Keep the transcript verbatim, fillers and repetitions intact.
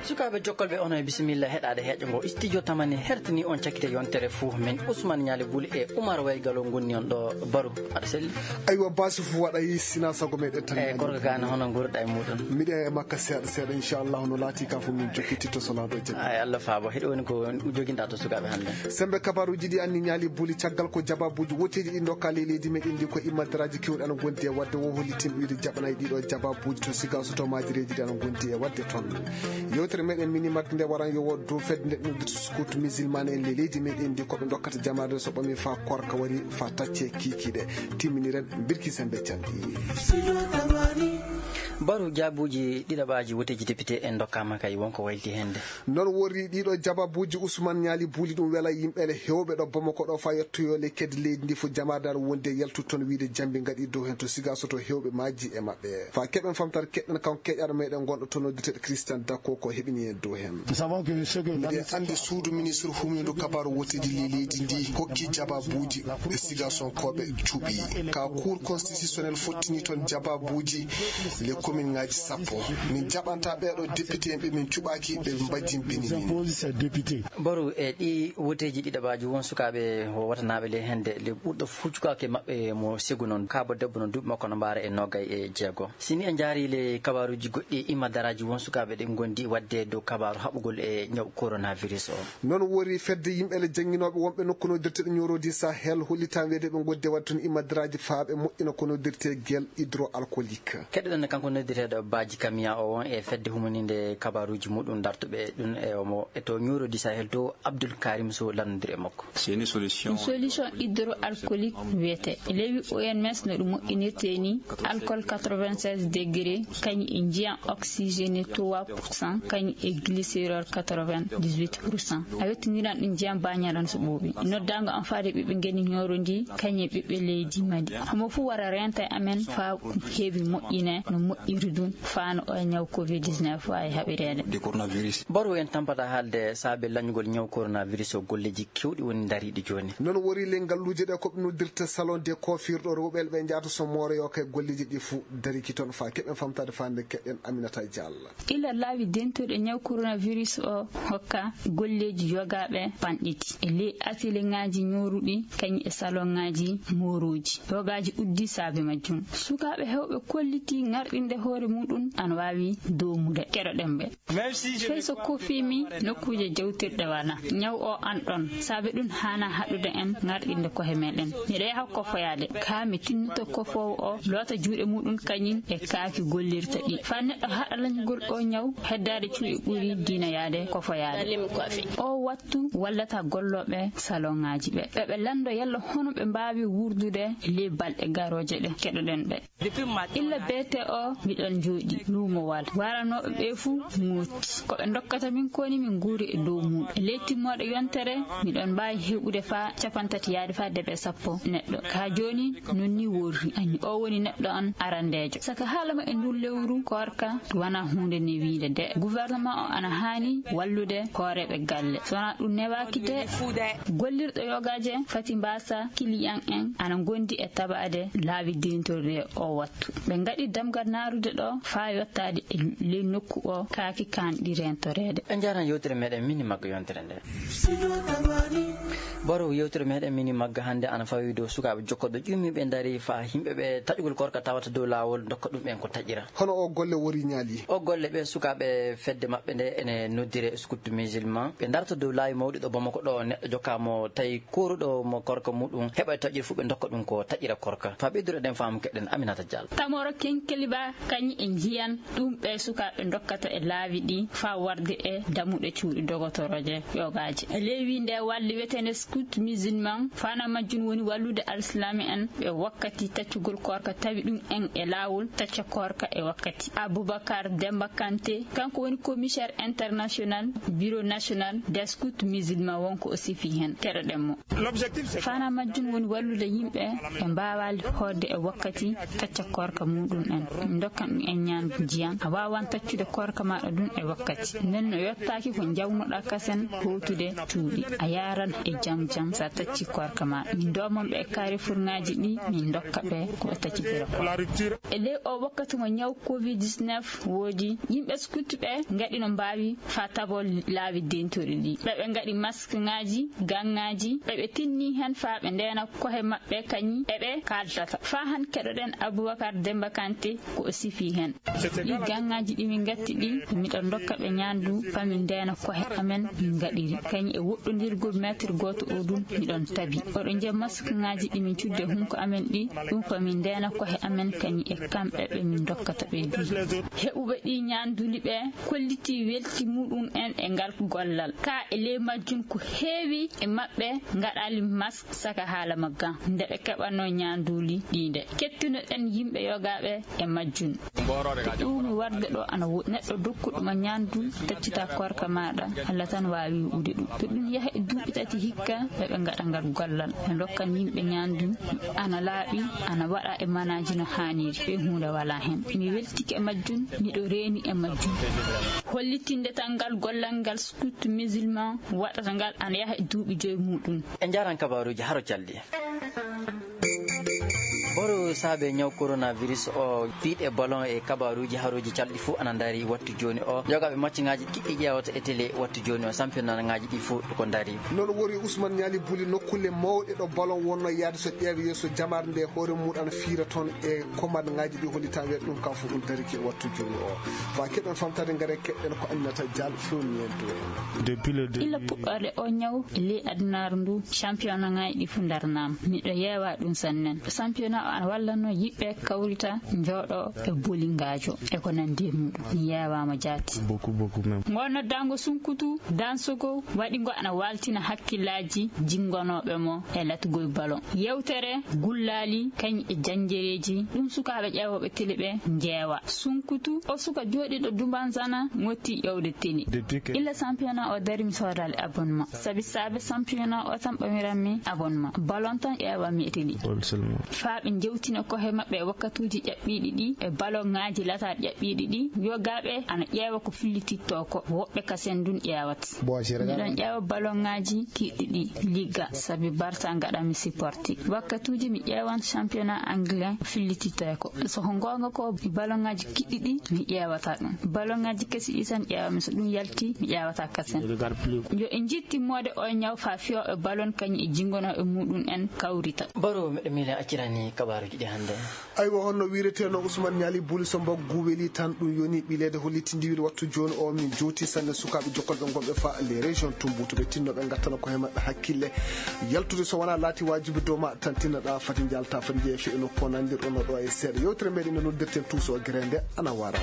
Sukaaɓe jokkolɓe, onon e bisimilla heɗaade heeƴo ngo. Studio Tamani hertini on cakkite yontere fuu. Min Ousmane Ñaali Buli e Oumar Waygalo ngonni on ɗo. Baru, aɗa selli? Aywa, baasi fuu waɗay, sinaa sago meɗen tan. E Ñaali Korka Buli. Gana, hono nguurɗa e muɗum? Miɗen e makka seeɗa seeɗa, inchallahu, no laati ka fuu min jokkititto so laado jaɓi. Ay, Allah faabo. Hiɗo woni ko joginɗa to sukaaɓe hannde? Sembe kabaaruuji ɗi anni Ñaali Buli, caggal ko jabaabuuji woteeji ɗi ndokka ley leydi meɗen ndi, ko immadaraaji kewɗi ana ngondi e waɗde. Wo hollitin wiyde jaɓanay ɗiɗo jabaabuuji to siga so to maajireeji ɗi ana ngondi e waɗde toon. Yewtere meɗen mini mag nde waran yo wood dow fedde nde ɗum scout musulman en ley leydi meɗen ndi, ko ɓe dokkata jamaade so ɓami fa korka wari fa tacce kiikiiɗe. Timminiren birki sembe canɗi. Baru, jaabuuji ɗiɗaɓaaji woteeji député en ndokkaama kay, wonko wayliti heen de. Noon worri ɗiɗo jabaabuuji Ousmane Ñaali Buli, ɗum wela yimɓe le heewɓe ɗo Bamako ɗo fa yettoyo le kadi leydi ndi fof jamaadaare wonde yaltu toon wiyde jambi ngaɗi dow heen to siga so to heewɓe maaji e maɓɓe. Fa keɓen famtare keɗɗen kanko keƴaɗo meɗen gonɗo to noddirteɗo Christian Dakko ko heɓini en dow heen. Miɗen anndi suudu ministre humindu kabaaru woteeji ley leydi ndi hokki jabaabuuji e siga sonkooɓe cuɓi. Ka cour constitutionnel fottini toon jabaabuuji le commune ngaji sappo. Min jaɓanta ɓeeɗo député en ɓe min cuɓaki ɓe mbajjin bini min. Baru, e ɗi woteeji ɗiɗaɓaaji won sukaaɓe o watanaaɓe le hende le ɓurɗo fuccukaake maɓɓe mo segu noon. Kaabo debbo no duuɓi makko no mbaara e nogay e jeego. Si ni en njaari le kabaaruuji goɗɗi e immadaraaji won sukaaɓe ɗi ngondi waɗde dow kabaaru haɓugol e ñaw coronavirus o. Noon wori fedde yimɓe le jannginooɓe wonɓe nokku noddirteɗo ñoorodi Sahel hollitan weede ɓe ngodde waɗde toon immadaraaji faaɓe moƴƴina ko noddirte gel hydroalcoolique. Keɗoɗen kanko noddirteɗo Baji Kamiya o won e fedde humaninde kabaaruuji muɗum dartuɓe ɗum e omo e to ñoorodi Sahel to Abdoul Karim Sow lannodiri e makko. Ɗum solution hydroalcoolique wiyete. Lewi O M S no ɗum moƴƴinirte ni, alcool quatre-vingt-seize degré, kañum e njiyan oxygéné trois pour cent, kañum e glycérol quatre-vingt-dix-huit pour cent. A wettiniran ɗum njiyan bañal on so ɓooɓi. Noddaango am faade ɓiɓɓe ngeni ñooro ndi, kañum e ɓiɓɓe leydi Mali. Homo fuu wara renta e amen faa heewi moƴƴine no moƴƴiri ɗum, faa no o ñaw covid dix-neuf waawi haɓireede. Baru, en tampata haalde saabe lañugol ñaw coronavirus o, golleeji kewɗi woni ndariiɗi jooni. Noon wori le ngalluuje ɗe ko ɓe noddirta salon de coiffure ɗo rewɓe ɓe njaata so mooroyo kay golleeji ɗi fuu dariki toon fa keɓen famtaade fa nde keɗen Aminata Diallo. Ila laawi dentuɗe ñaw coronavirus o hokka golleeji yogaaɓe panɗiti e ley atelier ŋaaji ñooruɗi kañum e salon ŋaaji moorooji. Yogaaji uddi saabe majjum. Sukaaɓe heewɓe kolliti ŋarɗinde hoore muɗum ana waawi doomude. Keɗoɗen ɓe. Fey so kofiimi nokkuuje jawtirɗe wala, ñaw o an ɗon, saabe ɗum haana haɗude en ŋarɗinde kohe meɗen. Miɗo yaha kofoyaade, kaa mi tinnoto kofoowo o, loota juuɗe muɗum kañum e kaaki gollirta ɗi. Faa neɗɗo haɗa lañugol o ñaw, heddaade cuuɗi ɓuri diina yaade kofoyaade. O wattu wallata gollooɓe salon ŋaaji ɓe. Ɓe ɓe lanndo yalla hono ɓe mbaawi wuurdude ley balɗe garooje ɗe. Keɗoɗen ɓe. Illa beete o, miɗon jooɗi luumowal. Waranooɓe ɓe fuu ŋootti. Ko ɓe ndokkata min koni min nguuri e dow muuɗum. E ley timmooɗe yontere, miɗon mbaawi heɓude faa capantati yaade faa debe sappo neɗɗo. Kaa jooni, non ni worri. Añi, o woni neɗɗo on arandeejo. Saka haala ma e ndun lewru koorka, wana huunde newiinde de. Gouvernement o ana haani wallude hooreeɓe galle. So wanaa ɗum newaaki de, gollirɗo yogaaje fati mbaasa kiliyan en ana ngondi e tabaade laawi deentorɗe o wattu. Ɓe ngaɗi damgal naarude ɗo faa yottaade e ley nokku o kaaki kaanɗi rentoreede. En njaaran yewtere meɗen mini maggo yontere nde. Boro yewtere meɗen mini magga hannde ana fawi dow sukaaɓe jokkoɓe ƴummi ɓe ndari faa yimɓe ɓe taƴugol korka tawata dow laawol dokka ɗum en ko taƴira. Hono o golle wori ñaali? O golle ɓe sukaaɓe fedde maɓɓe nde ene noddire scout musulman. Ɓe darta dow laawi mawɗi ɗo Bamako ɗo neɗɗo jokkaamo tawi kooruɗo mo korka muɗum heɓa e taƴir fuu ɓe dokka ɗum ko taƴira korka. Faa ɓeydude ɗen faamu keɗen Aminata Diallo. Tamoro kenkeliba kañi e njiyan ɗum ɓe sukaaɓe dokkata e laawi ɗi faa warde e damuɗe cuuɗi dogotorooje yogaaji. E ley wiinde walli wetende scout musulman, fana majjum woni wallude alislami en ɓe wakkati taccugol korka tawi ɗum en e laawol tacca korka e wakkati. Aboubacar Demba Kanté, kanko woni commissaire international bureau national des scouts musulmans, wonko o sifi heen. Keɗoɗen mo. Fana majjum woni wallude yimɓe ɓe mbaawaali hoorde e wakkati tacca korka muɗum en. Kan ɗum en ñaandu njiyan, a waawan taccude koorka maaɗa ɗum e wakkati. Nden no yottaaki ko njawnoɗaa kasen hootude cuuɗi. A yaaran e jam jam so a tacci koorka maaɗa. Min ndoomon ɓe e carrefourŋaaji ɗi, min ndokka ɓe ko ɓe taccitira ko. E ley o wakkati mo ñaw covid dix-neuf woodi, yimɓe scout ɓe ngaɗi no mbaawi faa taboo laawi dentori ɗi. Ɓe ɓe ngaɗi maskŋaaji, gaŋŋaaji, ɓe ɓe tinni hen faa ɓe ndeena kohe maɓɓe kañi e ɓe kaaldata. Faa han keɗoɗen Abubakar Demba Kante ko o sifi hen. Ɗi gaŋŋaaji ɗi min ngatti ɗi, miɗo ndokka ɓe ñaandu faa min ndeena kohe amen min ngaɗiri. Kañi e woɗɗondirgol mètre gooto o ɗum miɗon tabi. Oɗo njiya maskŋaaji ɗi min cudde hunko amen ɗi, ɗum faa min ndeena kohe amen kañi e kamɓe ɓe min ndokkata ɓe ɗi. Heɓuɓe ɗi ñaanduli ɓe kolliti welti muɗum en e ngal gollal. Ka e ley majjum ko heewi e maɓɓe ngaɗali mask saka haala maggan nde ɓe keɓanno ñaanduli ɗi nde. Kettinoɗen yimɓe yogaaɓe e majjum. Ko ɗuumi warde ɗo ana woɗɗi. Neɗɗo dokkuɗo ma ñaandu, taccita koorka maaɗa, Allah tan waawi wi'ude ɗum. To ɗum yaha e duuɓi tati hikka, ɓe ɓe ngaɗa ngal gollal. Ɓe ndokkan yimɓe ñaandu, ana laaɓi, ana waɗa e manaaji no haaniri. Ɓe huunde walaa hen. Mi weltike e majjum, miɗo reeni e majjum. Hollitinde tan ngal gollal ngal scout musulman waɗata ngal ana yaha e duuɓi joyi muɗum. En njaaran kabaaruuji haro calɗi. Boro saabe ñaw coronavirus o, piiɗe ballon e kabaaruuji harooji calɗi fuu ana ndaari wattu jooni o. Yogaaɓe macciŋaaji kiɗɗi ƴeewata e télé wattu jooni o, sampiyonaaŋaaji ɗi fuu ko ndaari. Noon wori Ousmane Ñaali Buli nokkuule mawɗe ɗo ballon wonno yahde so ƴeewe yeeso jamaare nde hoore mum ana fiira toon e komatŋaaji ɗi hollitaa wiyata ɗum kam fof ɗum darike wattu jooni o. Fa keɗen famtade ngare keɗen ko Aminata Dial fewniyento en. Depuis le début. Illa puɗɗoode o ñaw e ley adunaaru ndu, championnatŋaaji ɗi fuu ndarnaama. Miɗo yeewa ɗum sannen. Championnat o ana wallanno yimɓe kawrita, njooɗo e boli ngaajo e ko nanndi e muɗum. Mi yeewaama jaati. Beaucoup, beaucoup même. Ngoo noddaango sunkutu, dansogo, waɗi ngo ana waaltina hakkillaaji jinngonooɓe mo e latugol ballon. Yewtere, gullaali, kañ e janjereeji, ɗum sukaaɓe ƴeewooɓe télé ɓe njeewa. Sunkutu, o suka jooɗiiɗo Dumbanzana, motti ƴeewde télé. Depuis que. Illa championnat o dari mi soodaali abonnement. Sabi saabe championnat o tan ɓamiranmi abonnement. Ballon tan ƴeewammi e télé. Ballon seulement. Faa ɓe njewtina kohe maɓɓe e wakkatuuji ƴaɓɓiiɗi ɗi, e ballonŋaaji lataaɗi ƴaɓɓiiɗi ɗi, yogaaɓe ana ƴeewa ko fillitittoo ko, woɓɓe kasen ndun ƴeewata. Miɗon ƴeewa ballonŋaaji kiɗɗi ɗi, Liga, sabi Barça ngaɗanmi supporté. Wakkatuuji mi ƴeewan championnat anglais fillitittoo ko. So ko goonga ko, ballonŋaaji kiɗɗi ɗi mi ƴeewata ɗum. Ballonŋaaji kesi ɗi tan ƴeewammi, so ɗum yalti mi ƴeewata kasen. Yo en njiɗ timmoode o ñaw faa fiyooɓe ballon kañum e jinngonooɓe muɗum en kawrita. Baro, miɗo miila accirani kabaaruuji ɗi hannde. Aywa, honno wiireteno Ousmane Ñaali Buli, so mbaggu weli tan ɗum yoni ɓileede hollitindiwiri wattu jooni o. Min jowti sanne sukaaɓe jokkolɓe ngonɓe fa les régions Tumbutu, ɓe tinno ɓe ngattana ko he maɓɓe hakkille. Yaltude so wonaa laati waajibi dow ma tan tinnoɗaa, fati njalta, fati jeeya fe'ino ko nandirɗon ɗo e seeɗa. Yewtere meɗen no noddirten Tuuso Gerende ana wara.